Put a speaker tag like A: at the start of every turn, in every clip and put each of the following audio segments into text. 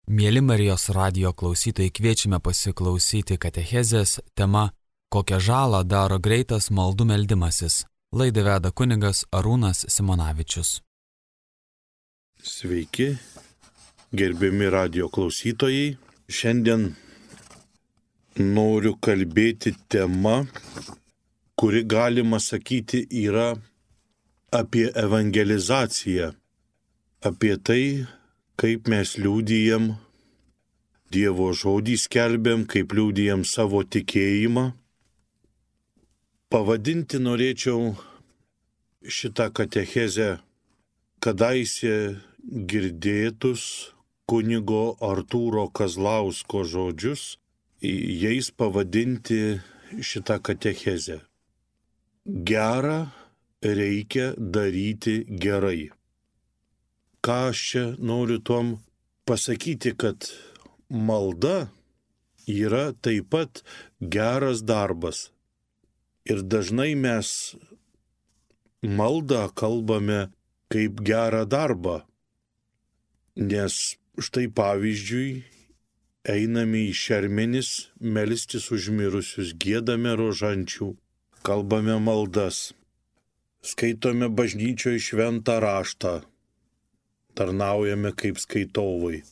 A: Mieli Marijos radijo klausytojai, kviečiame pasiklausyti katechezės tema "Kokią žalą daro greitas maldų meldimasis". Laidą veda kunigas Arūnas Simonavičius.
B: Sveiki, gerbiami radijo klausytojai. Šiandien noriu kalbėti tema, kuri galima sakyti yra apie evangelizaciją, apie tai, kaip mes liudijam Dievo žodį, skelbiam, kaip liudijam savo tikėjimą. Pavadinti norėčiau šitą katechezę kadaise girdėtus kunigo Artūro Kazlausko žodžius, jais pavadinti šitą katechezę. Gera reikia daryti gerai. Ką aš čia noriu tuom pasakyti, kad malda yra taip pat geras darbas. Ir dažnai mes maldą kalbame kaip gerą darbą. Nes štai pavyzdžiui, einame į šermenis, melstis už mirusius, giedame rožančių, kalbame maldas, skaitome bažnyčioje šventą raštą, tarnaujame kaip skaitovai.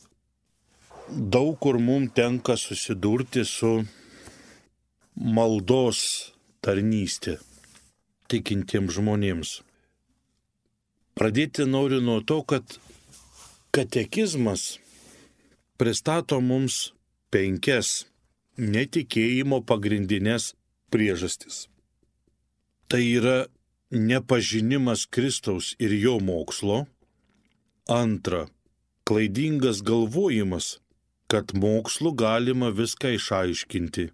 B: Daug kur mums tenka susidurti su maldos tarnystė tikintiems žmonėms. Pradėti noriu nuo to, kad katekizmas pristato mums 5 netikėjimo pagrindinės priežastis. Tai yra nepažinimas Kristaus ir jo mokslo. Antra, klaidingas galvojimas, kad mokslu galima viską išaiškinti.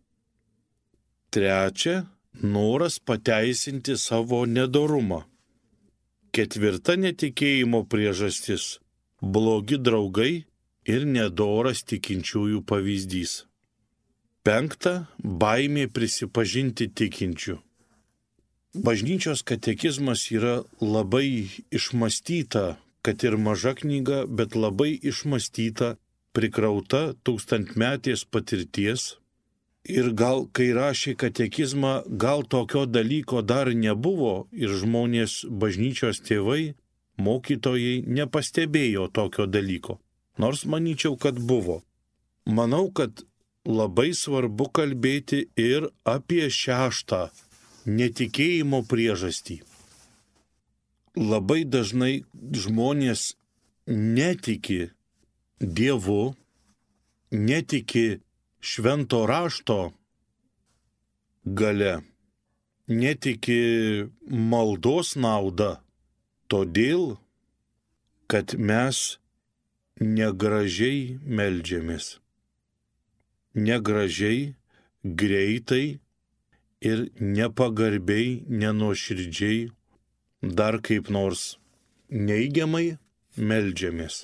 B: Trečia, noras pateisinti savo nedorumą. Ketvirta netikėjimo priežastis – blogi draugai ir nedoras tikinčiųjų pavyzdys. Penkta, baimė prisipažinti tikinčių. Bažnyčios katekizmas yra labai išmąstyta, kad ir maža knyga, bet labai išmąstyta, prikrauta tūkstantmetės patirties. Ir gal, kai rašė katekizmą, gal tokio dalyko dar nebuvo ir žmonės, bažnyčios tėvai, mokytojai nepastebėjo tokio dalyko. Nors manyčiau, kad buvo. Manau, kad labai svarbu kalbėti ir apie 6 netikėjimo priežastį. Labai dažnai žmonės netiki Dievu, netiki švento rašto gale, netiki maldos nauda, todėl, kad mes negražiai meldžiamės. Negražiai, greitai ir nepagarbiai, nenuoširdžiai, dar kaip nors neigiamai meldžiamės.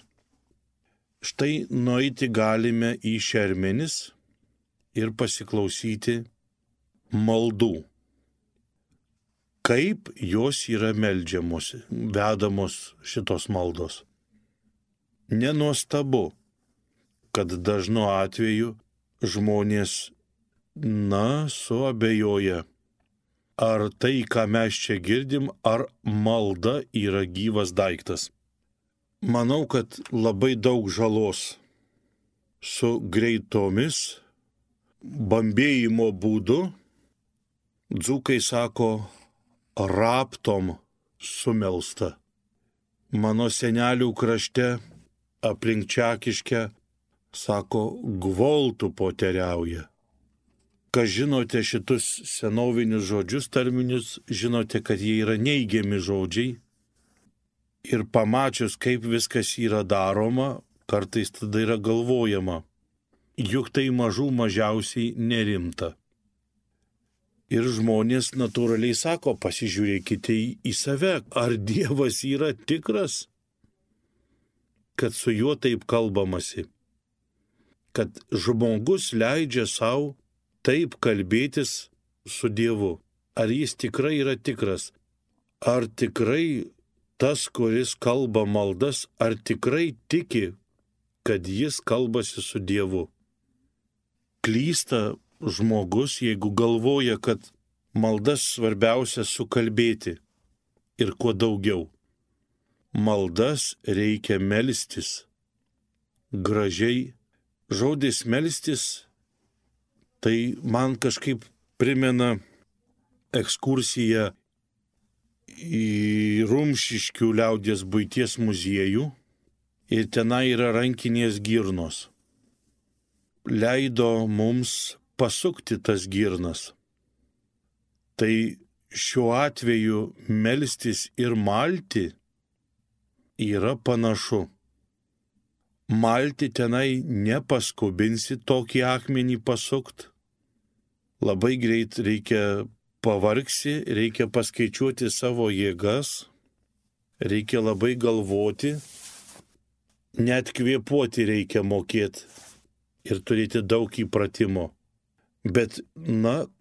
B: Štai nueiti galime į šermenis ir pasiklausyti maldų. Kaip jos yra meldžiamos, vedamos šitos maldos. Nenuostabu, kad dažnu atveju žmonės, suabejoja, ar tai, ką mes čia girdim, ar malda yra gyvas daiktas. Manau, kad labai daug žalos su greitomis bambėjimo būdu, dzūkai sako, raptom sumelsta. Mano senelių krašte aplink Čakiškę sako, gvoltų poteriauja. Kas žinote šitus senovinius žodžius, tarminius, žinote, kad jie yra neigiami žodžiai. Ir pamačius, kaip viskas yra daroma, kartais tada yra galvojama, juk tai mažiausiai nerimta. Ir žmonės natūraliai sako, pasižiūrėkite į save, ar Dievas yra tikras, kad su juo taip kalbamasi, kad žmogus leidžia savo taip kalbėtis su Dievu. Ar jis tikrai yra tikras? Ar tikrai tas, kuris kalba maldas, ar tikrai tiki, kad jis kalbasi su Dievu. Klysta žmogus, jeigu galvoja, kad maldas svarbiausia sukalbėti ir kuo daugiau. Maldas reikia melstis. Gražiai. Žodis melstis, tai man kažkaip primena ekskursiją į Rumšiškių liaudies buities muziejų ir tenai yra rankinės girnos. Leido mums pasukti tas girnas. Tai šiuo atveju melstis ir malti yra panašu. Malti tenai nepaskubinsi tokį akmenį pasukt. Labai greit reikia pavargsi, reikia paskaičiuoti savo jėgas, reikia labai galvoti, net kvėpuoti reikia mokėti ir turėti daug įpratimo. Bet,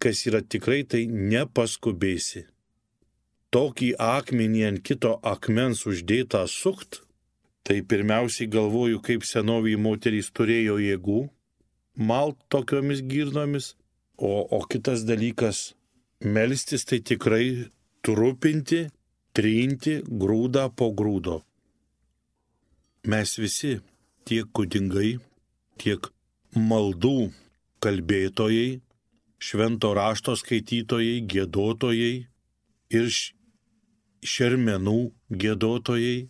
B: kas yra tikrai, tai nepaskubėsi. Tokį akmenį ant kito akmens uždėtą sukt, tai pirmiausiai galvoju, kaip senoviai moterys turėjo jėgų malt tokiomis girnomis, o kitas dalykas melstis tai tikrai trupinti, trinti grūdą po grūdo. Mes visi, tiek kunigai, tiek maldų kalbėtojai, švento rašto skaitytojai, giedotojai ir šermenų giedotojai,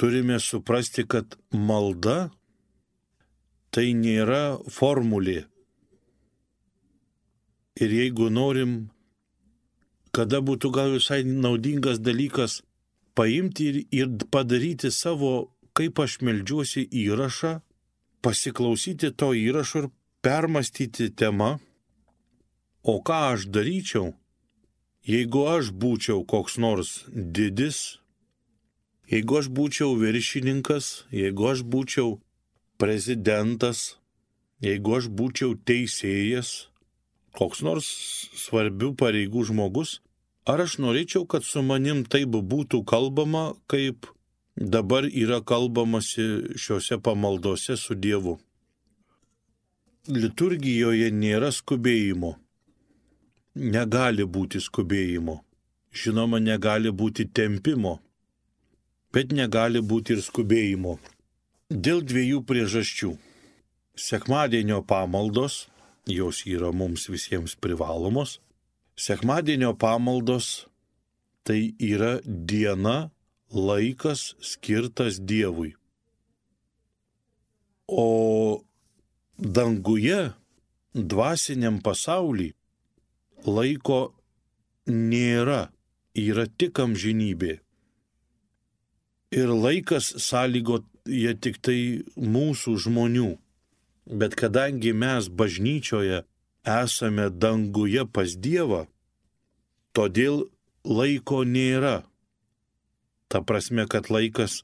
B: turime suprasti, kad malda tai nėra formulė. Ir jeigu norim, kada būtų gal visai naudingas dalykas paimti ir padaryti savo, kaip aš meldžiuosi įrašą, pasiklausyti to įrašo ir permastyti temą, o ką aš daryčiau, jeigu aš būčiau koks nors didis, jeigu aš būčiau viršininkas, jeigu aš būčiau prezidentas, jeigu aš būčiau teisėjas, koks nors svarbių pareigų žmogus, ar aš norėčiau, kad su manim taip būtų kalbama, kaip dabar yra kalbamasi šiuose pamaldose su Dievu. Liturgijoje nėra skubėjimo. Negali būti skubėjimo. Žinoma, negali būti tempimo. Bet negali būti ir skubėjimo. Dėl dviejų priežasčių. Sekmadienio pamaldos, jos yra mums visiems privalomos. Sekmadienio pamaldos tai yra diena, laikas skirtas Dievui. O danguje, dvasiniam pasauly, laiko nėra, yra tik amžinybė. Ir laikas sąlygoja tik tai mūsų žmonių. Bet kadangi mes bažnyčioje esame danguje pas Dievą, todėl laiko nėra. Ta prasme, kad laikas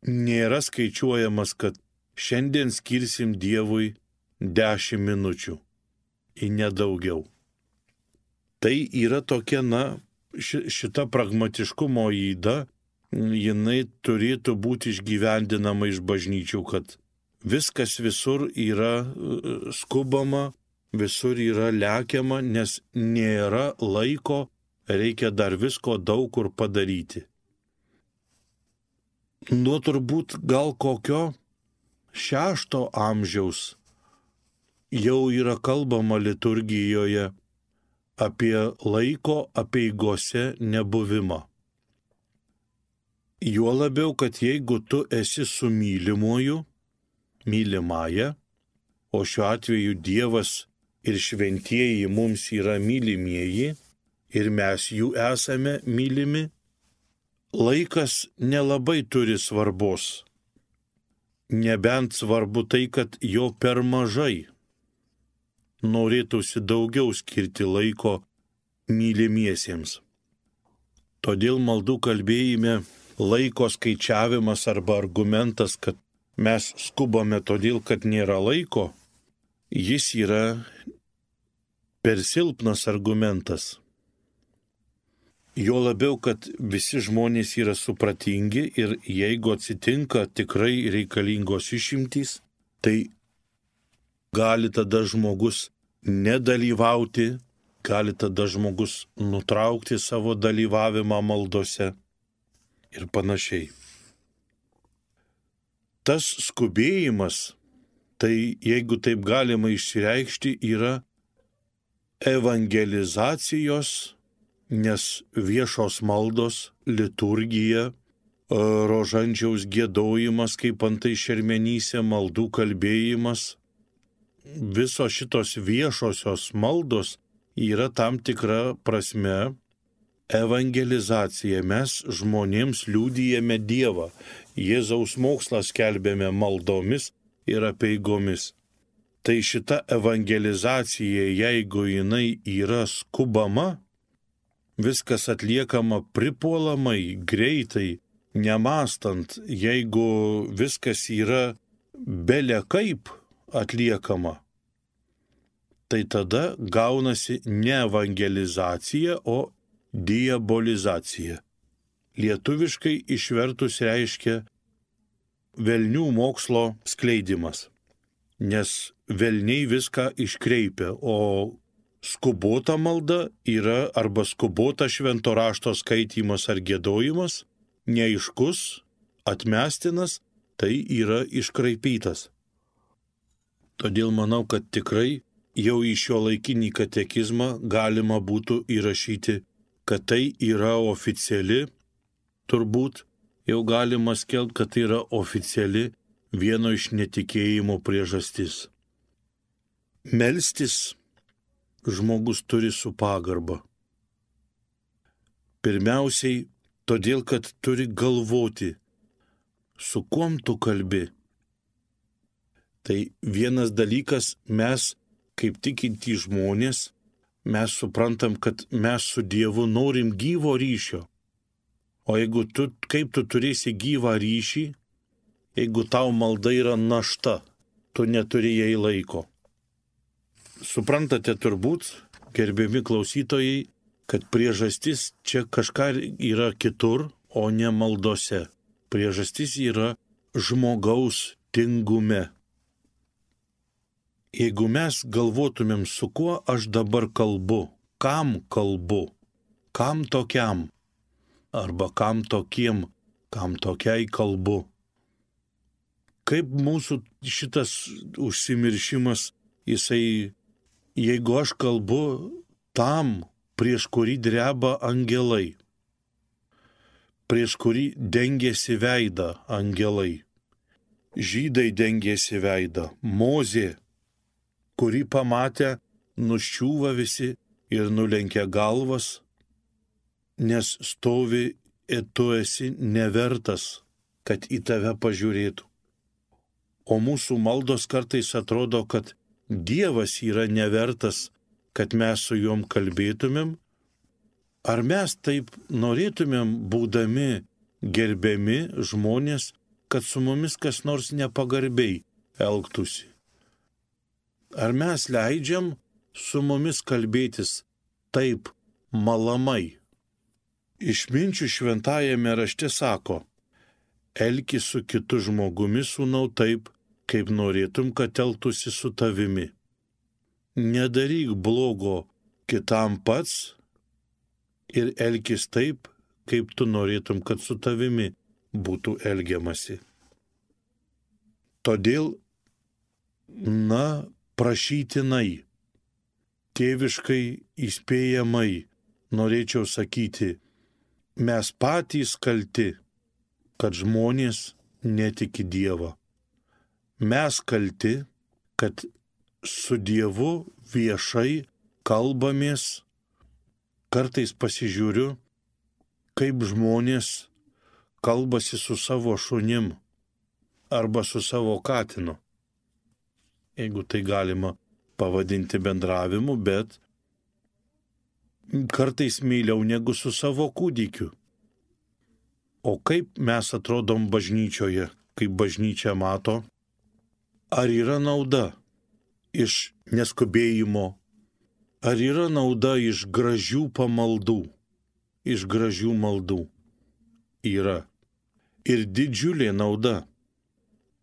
B: nėra skaičiuojamas, kad šiandien skirsim Dievui 10 minučių, į nedaugiau. Tai yra tokia, šita pragmatiškumo yda, jinai turėtų būti išgyvendinama iš bažnyčių, kad viskas visur yra skubama, visur yra lekiama, nes nėra laiko, reikia dar visko daug kur padaryti. Nuo turbūt gal kokio 6 amžiaus jau yra kalbama liturgijoje apie laiko apeigose nebuvimą. Juo labiau, kad jeigu tu esi su mylimuoju, mylimąja, o šiuo atveju Dievas ir šventieji mums yra mylimieji ir mes jų esame mylimi, laikas nelabai turi svarbos. Nebent svarbu tai, kad jo per mažai. Norėtųsi daugiau skirti laiko mylimiesiems. Todėl maldų kalbėjime laiko skaičiavimas arba argumentas, kad mes skubame todėl, kad nėra laiko, jis yra per silpnas argumentas. Jo labiau, kad visi žmonės yra supratingi ir jeigu atsitinka tikrai reikalingos išimtys, tai gali tada žmogus nedalyvauti, gali tada žmogus nutraukti savo dalyvavimą maldose ir panašiai. Tas skubėjimas, tai jeigu taip galima išsireikšti, yra evangelizacijos, nes viešos maldos, liturgija, rožančiaus giedojimas, kaip antai šermenyse, maldų kalbėjimas, visos šitos viešosios maldos yra tam tikra prasme evangelizacija. Mes žmonėms liudijame Dievą. Jėzaus mokslą skelbėme maldomis ir apeigomis. Tai šita evangelizacija, jeigu jinai yra skubama, viskas atliekama pripuolamai, greitai, nemąstant, jeigu viskas yra bele kaip atliekama, tai tada gaunasi ne evangelizacija, o diabolizacija. Lietuviškai išvertus reiškia velnių mokslo skleidimas, nes velniai viską iškreipia, o skubota malda yra arba skubota švento rašto skaitymas ar giedojimas, neaiškus, atmestinas, tai yra iškraipytas. Todėl manau, kad tikrai jau į šio laikinį katekizmą galima būtų įrašyti, kad tai yra oficiali, turbūt jau galima skelbti, kad tai yra oficiali vieno iš netikėjimo priežastis. Melstis žmogus turi su pagarba. Pirmiausiai, todėl, kad turi galvoti, su kuom tu kalbi. Tai vienas dalykas, mes, kaip tikintys žmonės, mes suprantam, kad mes su Dievu norim gyvo ryšio. O jeigu kaip tu turėsi gyvą ryšį, jeigu tau malda yra našta, tu neturi jai laiko. Suprantate turbūt, gerbiami klausytojai, kad priežastis čia kažką yra kitur, o ne maldose. Priežastis yra žmogaus tingume. Jeigu mes galvotumėm, su kuo aš dabar kalbu, kam tokiam, arba kam tokiem, kam tokiai kalbu. Kaip mūsų šitas užsimiršimas, jeigu aš kalbu tam, prieš kurį dreba angelai, prieš kurį dengėsi veidą angelai, žydai dengėsi veidą, Mozė, kurį pamatę nuščiūva visi ir nulenkia galvas, nes stovi ir tu esi nevertas, kad į tave pažiūrėtų. O mūsų maldos kartais atrodo, kad Dievas yra nevertas, kad mes su juom kalbėtumėm. Ar mes taip norėtumėm, būdami gerbiami žmonės, kad su mumis kas nors nepagarbiai elgtųsi? Ar mes leidžiam su mumis kalbėtis taip malamai? Išminčių šventajame rašte sako, elkis su kitu žmogumi, sūnau, taip, kaip norėtum, kad elgtųsi su tavimi. Nedaryk blogo kitam pats ir elkis taip, kaip tu norėtum, kad su tavimi būtų elgiamasi. Todėl, prašytinai, tėviškai įspėjamai, norėčiau sakyti, mes patys kalti, kad žmonės netiki Dievą. Mes kalti, kad su Dievu viešai kalbamės, kartais pasižiūriu, kaip žmonės kalbasi su savo šunim arba su savo katinu. Jeigu tai galima pavadinti bendravimu, bet kartais meiliau negu su savo kūdikiu. O kaip mes atrodom bažnyčioje, kaip bažnyčia mato? Ar yra nauda iš neskubėjimo? Ar yra nauda iš gražių pamaldų, iš gražių maldų yra ir didžiulė nauda.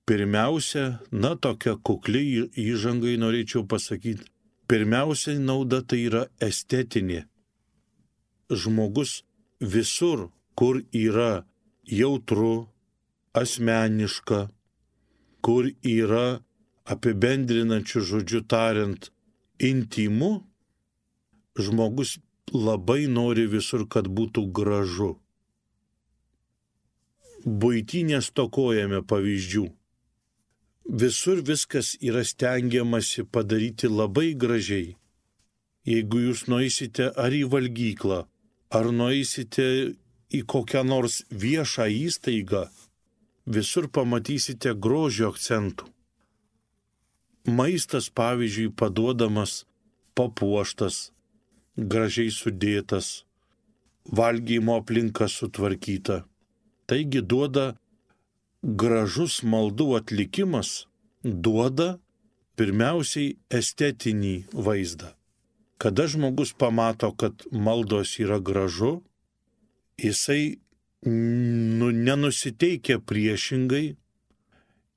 B: Pirmiausia, tokia kukli įžangai norėčiau pasakyti, pirmiausia nauda tai yra estetinė. Žmogus visur, kur yra jautru, asmeniška, kur yra apibendrinančių žodžių tariant intymu, žmogus labai nori visur, kad būtų gražu. Buity nestokojame pavyzdžių. Visur viskas yra stengiamasi padaryti labai gražiai. Jeigu jūs nueisite ar į valgyklą, ar nueisite į kokią nors viešą įstaigą, visur pamatysite grožio akcentų. Maistas, pavyzdžiui, paduodamas papuoštas, gražiai sudėtas, valgymo aplinka sutvarkyta. Taigi duoda gražus maldų atlikimas, duoda pirmiausiai estetinį vaizdą. Kada žmogus pamato, kad maldos yra gražu, jisai nenusiteikia priešingai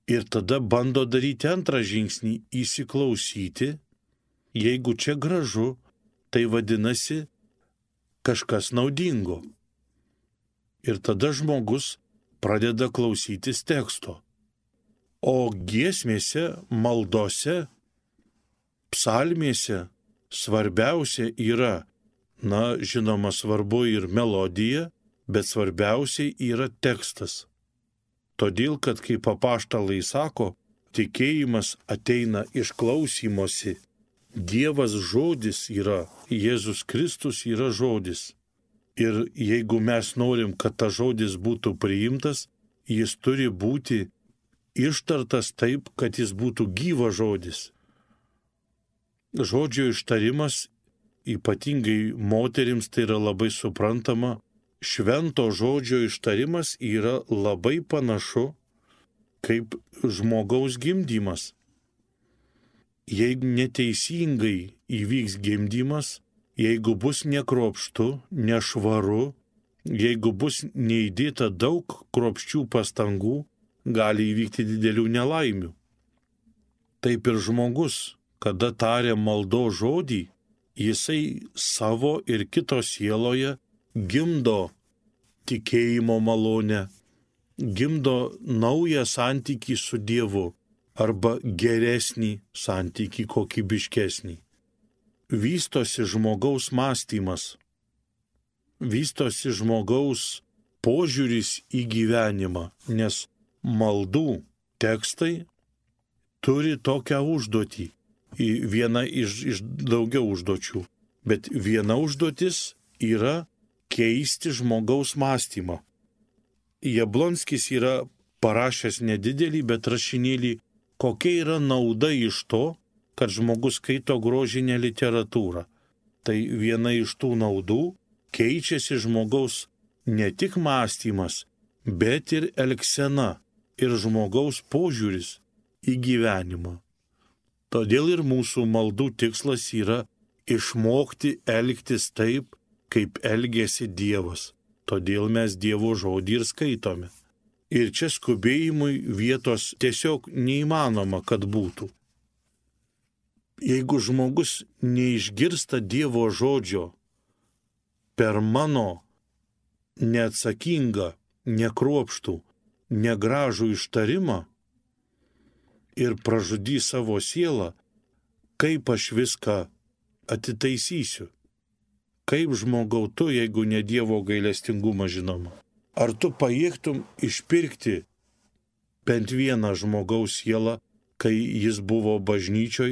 B: ir tada bando daryti antrą žingsnį – įsiklausyti. Jeigu čia gražu, tai vadinasi kažkas naudingo. Ir tada žmogus pradeda klausytis teksto. O giesmėse, maldose, psalmėse svarbiausia yra, žinoma, svarbu ir melodija, bet svarbiausiai yra tekstas. Todėl, kad kaip apaštalai sako, tikėjimas ateina iš klausymosi. Dievas žodis yra, Jėzus Kristus yra žodis. Ir jeigu mes norim, kad tas žodis būtų priimtas, jis turi būti ištartas taip, kad jis būtų gyvas žodis. Žodžio ištarimas, ypatingai moterims, tai yra labai suprantama. Švento žodžio ištarimas yra labai panašu kaip žmogaus gimdymas. Jeigu neteisingai įvyks gimdymas, jeigu bus nekruopštu, nešvaru, jeigu bus neįdėta daug kruopščių pastangų, gali įvykti didelių nelaimių. Taip ir žmogus, kada taria maldos žodį, jisai savo ir kito sieloje gimdo tikėjimo malonę, gimdo naują santykį su Dievu arba geresnį santykį, kokybiškesnį. Vystosi žmogaus mąstymas, vystosi žmogaus požiūris į gyvenimą, nes maldų tekstai turi tokią užduotį, viena iš daugiau užduočių, bet viena užduotis yra keisti žmogaus mąstymą. Jablonskis yra parašęs nedidelį, bet rašinėlį, kokia yra nauda iš to, kad žmogus skaito grožinę literatūrą. Tai viena iš tų naudų – keičiasi žmogaus ne tik mąstymas, bet ir elgsena ir žmogaus požiūris į gyvenimą. Todėl ir mūsų maldų tikslas yra išmokti elgtis taip, kaip elgėsi Dievas. Todėl mes Dievo žodį ir skaitome. Ir čia skubėjimui vietos tiesiog neįmanoma, kad būtų. Jeigu žmogus neišgirsta Dievo žodžio per mano neatsakingą, nekruopštų, negražų ištarimą ir pražudys savo sielą, kaip aš viską atitaisysiu? Kaip žmogau tu, jeigu ne Dievo gailestingumą žinoma? Ar tu pajėgtum išpirkti bent vieną žmogaus sielą, kai jis buvo bažnyčioj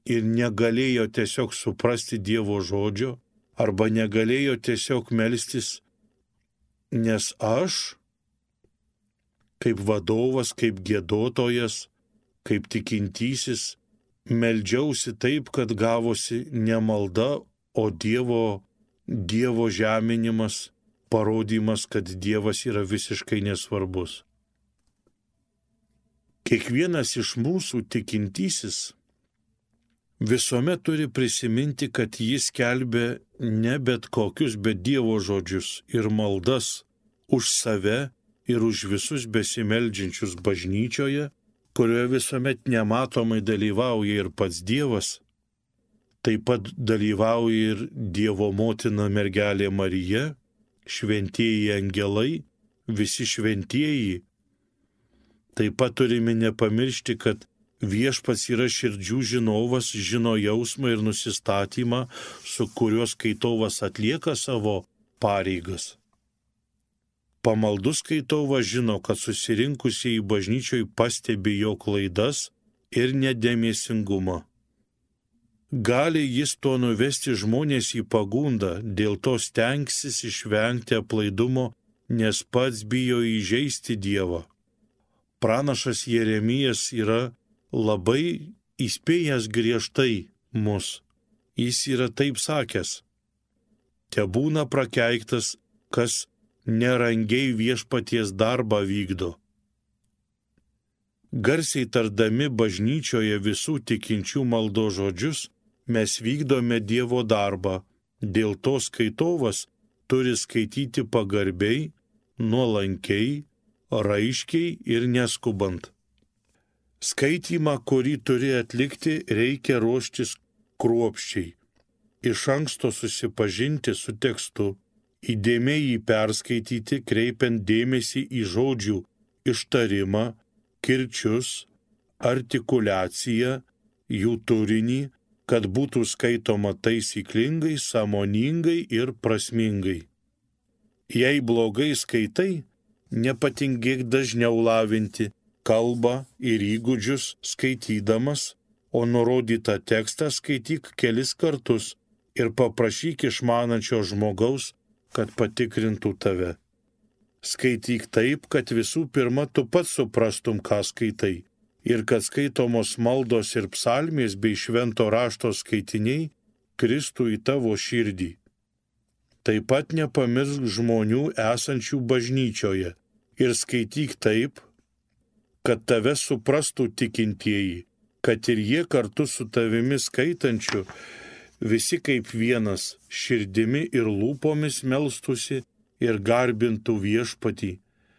B: ir negalėjo tiesiog suprasti Dievo žodžio, arba negalėjo tiesiog melstis, nes aš, kaip vadovas, kaip giedotojas, kaip tikintysis, meldžiausi taip, kad gavosi ne malda, o Dievo žeminimas, parodymas, kad Dievas yra visiškai nesvarbus. Kiekvienas iš mūsų tikintysis visuomet turi prisiminti, kad jis skelbia ne bet kokius, bet Dievo žodžius ir maldas už save ir už visus besimeldžiančius bažnyčioje, kurioje visuomet nematomai dalyvauja ir pats Dievas, taip pat dalyvauja ir Dievo motina mergelė Marija, šventieji angelai, visi šventieji. Taip pat turime nepamiršti, kad Viešpats yra širdžių žinovas, žino jausmą ir nusistatymą, su kuriuo skaitovas atlieka savo pareigas. Pamaldus skaitovas žino, kad susirinkusieji bažnyčioj pastebi jo klaidas ir nedėmesingumą. Gali jis to nuvesti žmonės į pagundą, dėl to stengsis išvengti aplaidumo, nes pats bijo įžeisti Dievą. Pranašas Jeremijas yra labai įspėjęs griežtai mus. Jis yra taip sakęs: tebūna prakeiktas, kas nerangiai viešpaties darbą vykdo. Garsiai tardami bažnyčioje visų tikinčių maldos žodžius, mes vykdome Dievo darbą. Dėl to skaitovas turi skaityti pagarbiai, nuolankiai, raiškiai ir neskubant. Skaitymą, kurį turi atlikti, reikia ruoštis kruopščiai. Iš anksto susipažinti su tekstu, įdėmiai jį perskaityti, kreipiant dėmesį į žodžių ištarimą, kirčius, artikuliaciją, jų turinį, kad būtų skaitoma taisyklingai, sąmoningai ir prasmingai. Jei blogai skaitai, nepatingėk dažniau lavinti kalbą ir įgūdžius skaitydamas, o nurodytą tekstą skaityk kelis kartus ir paprašyk išmanančio žmogaus, kad patikrintų tave. Skaityk taip, kad visų pirma tu pats suprastum, ką skaitai, ir kad skaitomos maldos ir psalmės bei švento rašto skaitiniai kristų į tavo širdį. Taip pat nepamiršk žmonių esančių bažnyčioje ir skaityk taip, kad tave suprastų tikintieji, kad ir jie kartu su tavimi skaitančiu visi kaip vienas širdimi ir lūpomis melstusi ir garbintų Viešpatį,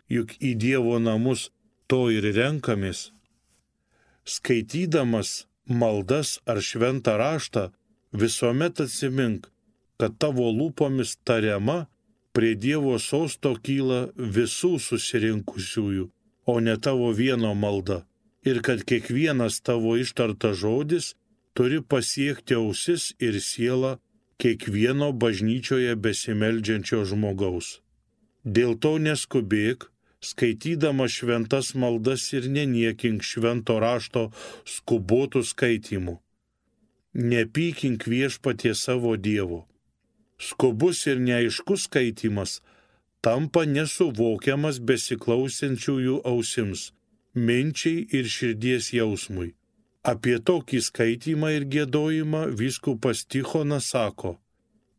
B: juk į Dievo namus to ir renkamės. Skaitydamas maldas ar šventą raštą, visuomet atsimink, kad tavo lūpomis tariama prie Dievo sosto kyla visų susirinkusiųjų, o ne tavo vieno malda, ir kad kiekvienas tavo ištartas žodis turi pasiekti ausis ir sielą kiekvieno bažnyčioje besimeldžiančio žmogaus. Dėl to neskubėk, skaitydama šventas maldas ir neniekink švento rašto skubotų skaitimų. Nepykink Viešpatie savo Dievo. Skubus ir neaiškus skaitimas tampa nesuvokiamas besiklausiančiųjų ausims, minčiai ir širdies jausmui. Apie tokį skaitymą ir giedojimą vyskupas Tichonas sako: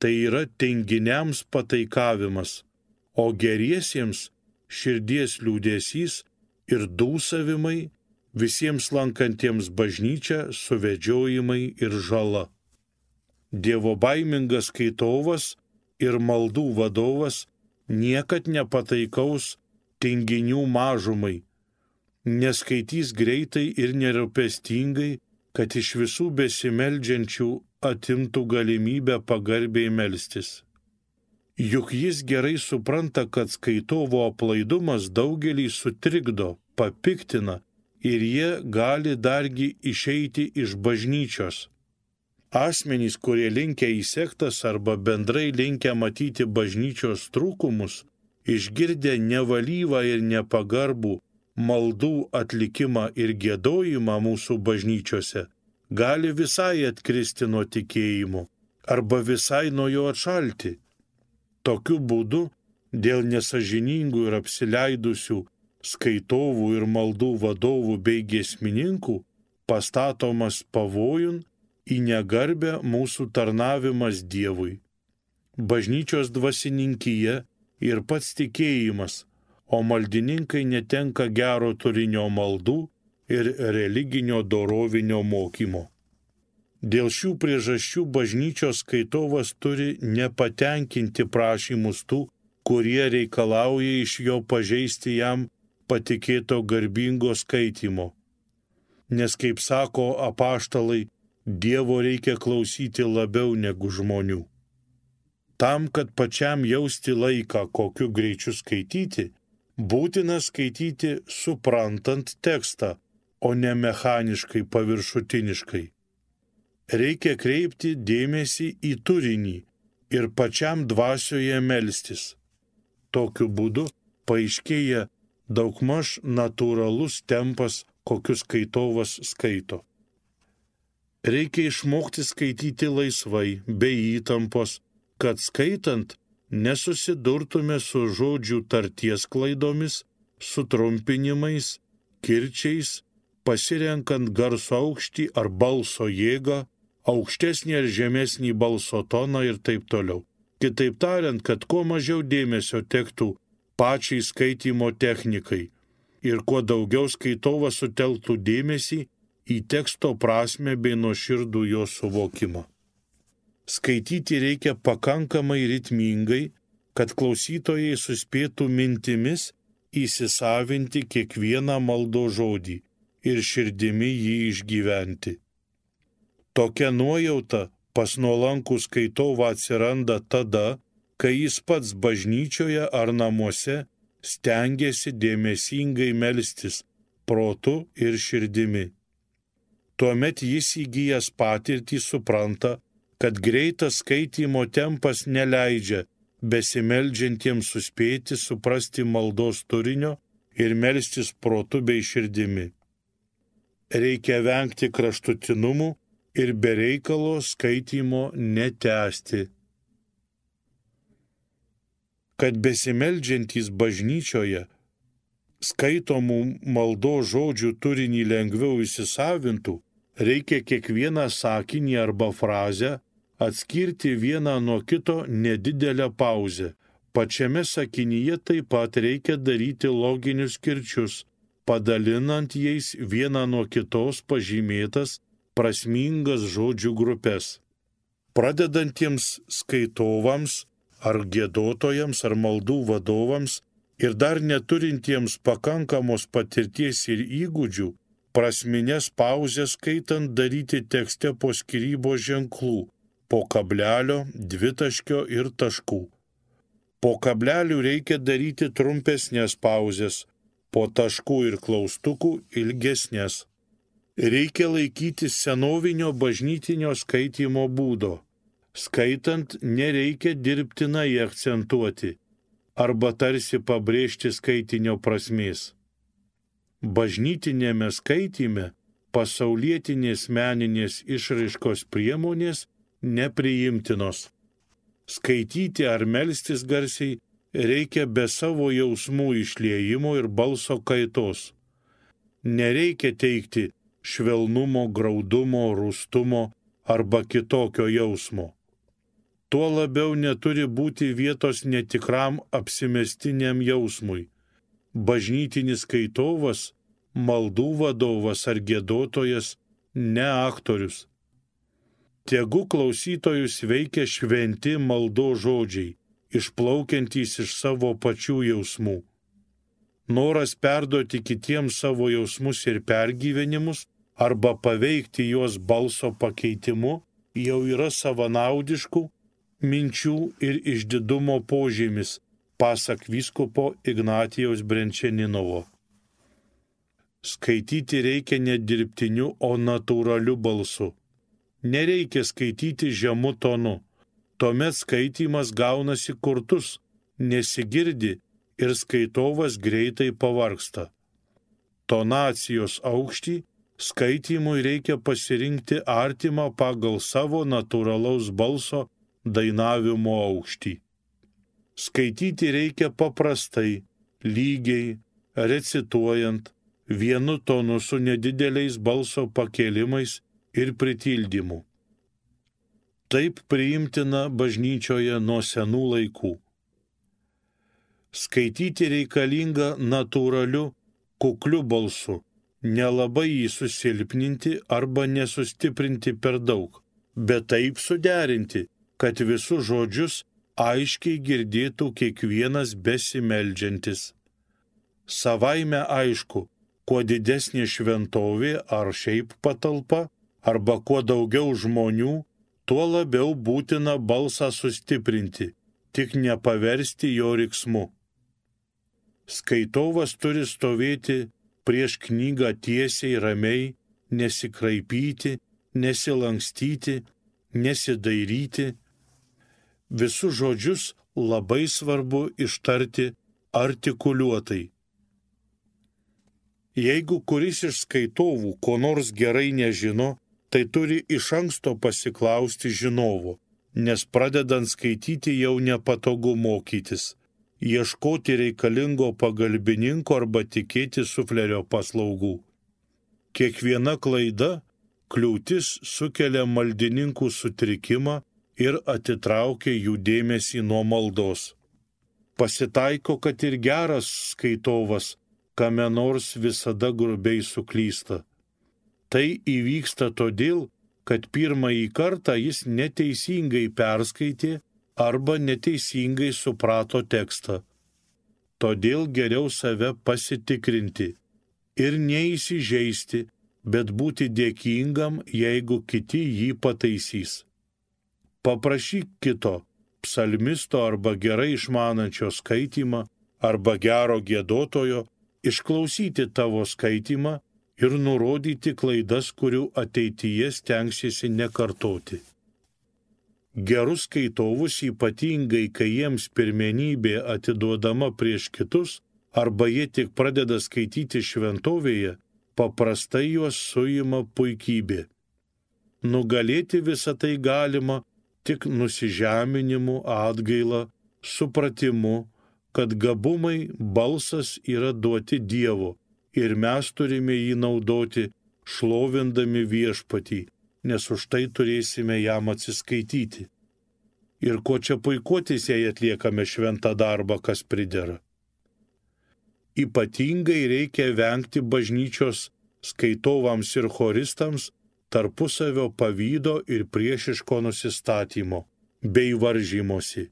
B: tai yra tinginiams pataikavimas, o geriesiems širdies liūdesys ir dūsavimai, visiems lankantiems bažnyčią suvedžiojimai ir žala. Dievobaimingas skaitovas ir maldų vadovas niekad nepataikaus tinginių mažumai, neskaitys greitai ir nerūpestingai, kad iš visų besimeldžiančių atimtų galimybę pagarbiai melstis. Juk jis gerai supranta, kad skaitovo aplaidumas daugelį sutrikdo, papiktina ir jie gali dargi išeiti iš bažnyčios. Asmenys, kurie linkę į sektas arba bendrai linkę matyti bažnyčios trūkumus, išgirdę nevalyvą ir nepagarbų maldų atlikimą ir giedojimą mūsų bažnyčiose, gali visai atkristi nuo tikėjimo arba visai nuo jo atšalti. Tokiu būdu, dėl nesažiningų ir apsileidusių skaitovų ir maldų vadovų bei giesmininkų, pastatomas pavojun į negarbę mūsų tarnavimas Dievui. Bažnyčios dvasininkija ir pats tikėjimas, o maldininkai netenka gero turinio maldų ir religinio dorovinio mokymo. Dėl šių priežasčių bažnyčios skaitovas turi nepatenkinti prašymus tų, kurie reikalauja iš jo pažeisti jam patikėto garbingo skaitymo. Nes, kaip sako apaštalai, Dievo reikia klausyti labiau negu žmonių. Tam, kad pačiam jausti laiką, kokiu greičiu skaityti, būtina skaityti suprantant tekstą, o ne mechaniškai paviršutiniškai. Reikia kreipti dėmesį į turinį ir pačiam dvasioje melstis. Tokiu būdu paaiškėja daugmaž natūralus tempas, kokius skaitovas skaito. Reikia išmokti skaityti laisvai, be įtampos, kad skaitant nesusidurtume su žodžių tarties klaidomis, sutrumpinimais, kirčiais, pasirenkant garso aukštį ar balso jėgą, aukštesnį ar žemesnį balso toną ir taip toliau. Kitaip tariant, kad kuo mažiau dėmesio tektų pačiai skaitymo technikai ir kuo daugiau skaitovas sutelktų dėmesį į teksto prasmę bei nuoširdų jo suvokimą. Skaityti reikia pakankamai ritmingai, kad klausytojai suspėtų mintimis įsisavinti kiekvieną maldos žodį ir širdimi jį išgyventi. Tokia nuojauta pas nuolankų skaitovą atsiranda tada, kai jis pats bažnyčioje ar namuose stengiasi dėmesingai melstis protu ir širdimi. Tuomet jis įgijęs patirtį supranta, kad greitas skaitymo tempas neleidžia besimeldžiantiems suspėti suprasti maldos turinio ir melstis protu bei širdimi. Reikia vengti kraštutinumų ir be reikalo skaitymo netęsti. Kad besimeldžiantys bažnyčioje skaitomų maldos žodžių turinį lengviau įsisavintų, reikia kiekvieną sakinį arba frazę atskirti vieną nuo kito nedidelę pauzę. Pačiame sakinyje taip pat reikia daryti loginius kirčius, padalinant jais vieną nuo kitos pažymėtas prasmingas žodžių grupės. Pradedantiems skaitovams ar giedotojams ar maldų vadovams ir dar neturintiems pakankamos patirties ir įgūdžių, prasminės pauzės skaitant daryti tekste po skyrybos ženklų, po kablelio, dvitaškio ir taškų. Po kablelių reikia daryti trumpesnės pauzės, po taškų ir klaustukų ilgesnės. Reikia laikytis senovinio bažnytinio skaitymo būdo. Skaitant nereikia dirbtinai akcentuoti arba tarsi pabrėžti skaitinio prasmės. Bažnytinėme skaityme pasaulietinės meninės išraiškos priemonės nepriimtinos. Skaityti ar melstis garsiai reikia be savo jausmų išliejimo ir balso kaitos. Nereikia teikti švelnumo, graudumo, rūstumo arba kitokio jausmo. Tuo labiau neturi būti vietos netikram apsimestiniam jausmui. Bažnytinis skaitovas, maldų vadovas ar giedotojas, ne aktorius. Tegu klausytojus veikia šventi maldos žodžiai, išplaukiantys iš savo pačių jausmų. Noras perduoti kitiems savo jausmus ir pergyvenimus arba paveikti juos balso pakeitimu jau yra savanaudiškų minčių ir išdidumo požymis, pasak vyskupo Ignatijaus Brenčeninovo. Skaityti reikia ne dirbtiniu, o natūraliu balsu. Nereikia skaityti žemu tonu. Tuomet skaitymas gaunasi kurtus, nesigirdi ir skaitovas greitai pavargsta. Tonacijos aukštį skaitymui reikia pasirinkti artimą pagal savo natūralaus balso dainavimo aukštį. Skaityti reikia paprastai, lygiai, recituojant, vienu tonu su nedideliais balso pakelimais ir pritildymu. Taip priimtina bažnyčioje nuo senų laikų. Skaityti reikalinga natūraliu, kukliu balsu, nelabai jį susilpninti arba nesustiprinti per daug, bet taip suderinti, kad visus žodžius aiškiai girdėtų kiekvienas besimeldžiantis. Savaime aišku, kuo didesnė šventovė ar šiaip patalpa, arba kuo daugiau žmonių, tuo labiau būtina balsą sustiprinti, tik nepaversti jo riksmu. Skaitovas turi stovėti prieš knygą tiesiai, ramiai, nesikraipyti, nesilankstyti, nesidairyti. Visus žodžius labai svarbu ištarti artikuliuotai. Jeigu kuris iš skaitovų ko nors gerai nežino, tai turi iš anksto pasiklausti žinovo, nes pradedant skaityti jau nepatogu mokytis, ieškoti reikalingo pagalbininko arba tikėti suflerio paslaugų. Kiekviena klaida, kliūtis sukelia maldininkų sutrikimą ir atitraukia jų dėmesį nuo maldos. Pasitaiko, kad ir geras skaitovas kame nors visada grubiai suklysta. Tai įvyksta todėl, kad pirmąjį kartą jis neteisingai perskaitė arba neteisingai suprato tekstą. Todėl geriau save pasitikrinti ir neįsižeisti, bet būti dėkingam, jeigu kiti jį pataisys. Paprašyk kito, psalmisto arba gerai išmanančio skaitymą arba gero giedotojo, išklausyti tavo skaitymą ir nurodyti klaidas, kurių ateityje stengsiesi nekartoti. Gerus skaitovus, ypatingai kai jiems pirmenybė atiduodama prieš kitus, arba jie tik pradeda skaityti šventovėje, paprastai juos suima puikybė. Nugalėti visą tai galima tik nusižeminimu, atgaila, supratimu, kad gabumai, balsas yra duoti Dievo ir mes turime jį naudoti, šlovindami Viešpatį, nes už tai turėsime jam atsiskaityti. Ir ko čia puikuotis, jei atliekame šventą darbą, kas pridera. Ypatingai reikia vengti bažnyčios skaitovams ir choristams tarpusavio pavydo ir priešiško nusistatymo bei varžymosi.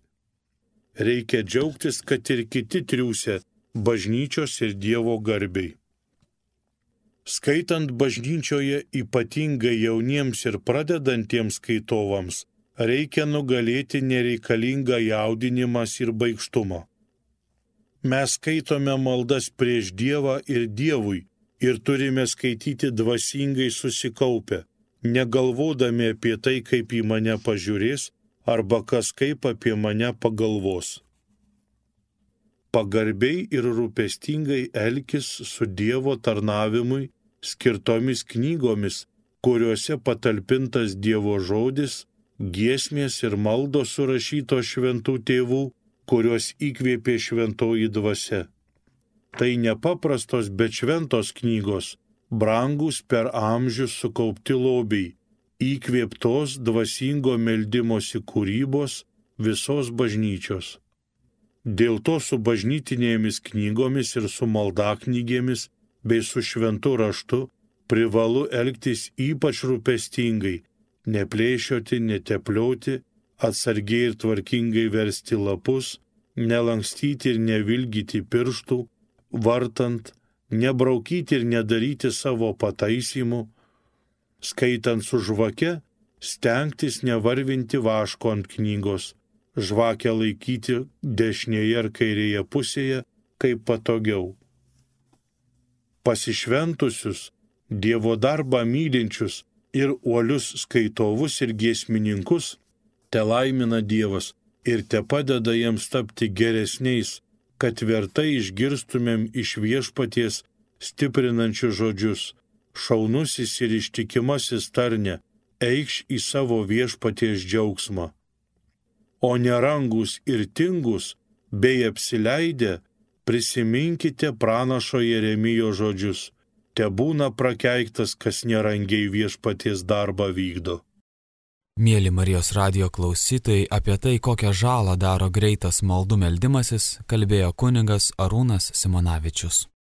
B: Reikia džiaugtis, kad ir kiti triūsia bažnyčios ir Dievo garbei. Skaitant bažnyčioje, ypatingai jauniems ir pradedantiems skaitovams, reikia nugalėti nereikalingą jaudinimas ir baikštumą. Mes skaitome maldas prieš Dievą ir Dievui ir turime skaityti dvasingai susikaupę, negalvodami apie tai, kaip į mane pažiūrės, arba kas kaip apie mane pagalvos. Pagarbiai ir rūpestingai elkis su Dievo tarnavimui skirtomis knygomis, kuriuose patalpintas Dievo žodis, giesmės ir maldos surašytos šventų tėvų, kuriuos įkvėpė šventoji dvasia. Tai nepaprastos, bet šventos knygos, brangus per amžius sukaupti lobiai, įkvėptos dvasingo meldimosi kūrybos visos bažnyčios. Dėl to su bažnytinėmis knygomis ir su maldaknygėmis bei su šventu raštu privalu elgtis ypač rūpestingai, neplėšioti, neteplioti, atsargiai ir tvarkingai versti lapus, nelankstyti ir nevilgyti pirštų, vartant, nebraukyti ir nedaryti savo pataisymų, skaitant su žvake, stengtis nevarvinti vaško ant knygos, žvakę laikyti dešinėje ar kairėje pusėje, kaip patogiau. Pasišventusius, Dievo darbą mylinčius ir uolius skaitovus ir giesmininkus te laimina Dievas ir te padeda jiems tapti geresniais, kad vertai išgirstumėm iš Viešpaties stiprinančius žodžius: šaunusis ir ištikimasis tarne, eikš į savo Viešpaties džiaugsmą. O nerangus ir tingus bei apsileidę, prisiminkite pranašo Jeremijo žodžius: tebūna prakeiktas, kas nerangiai Viešpaties darbą vykdo.
A: Mėly Marijos radijo klausytojai, apie tai, kokią žalą daro greitas maldų meldimasis, kalbėjo kunigas Arūnas Simonavičius.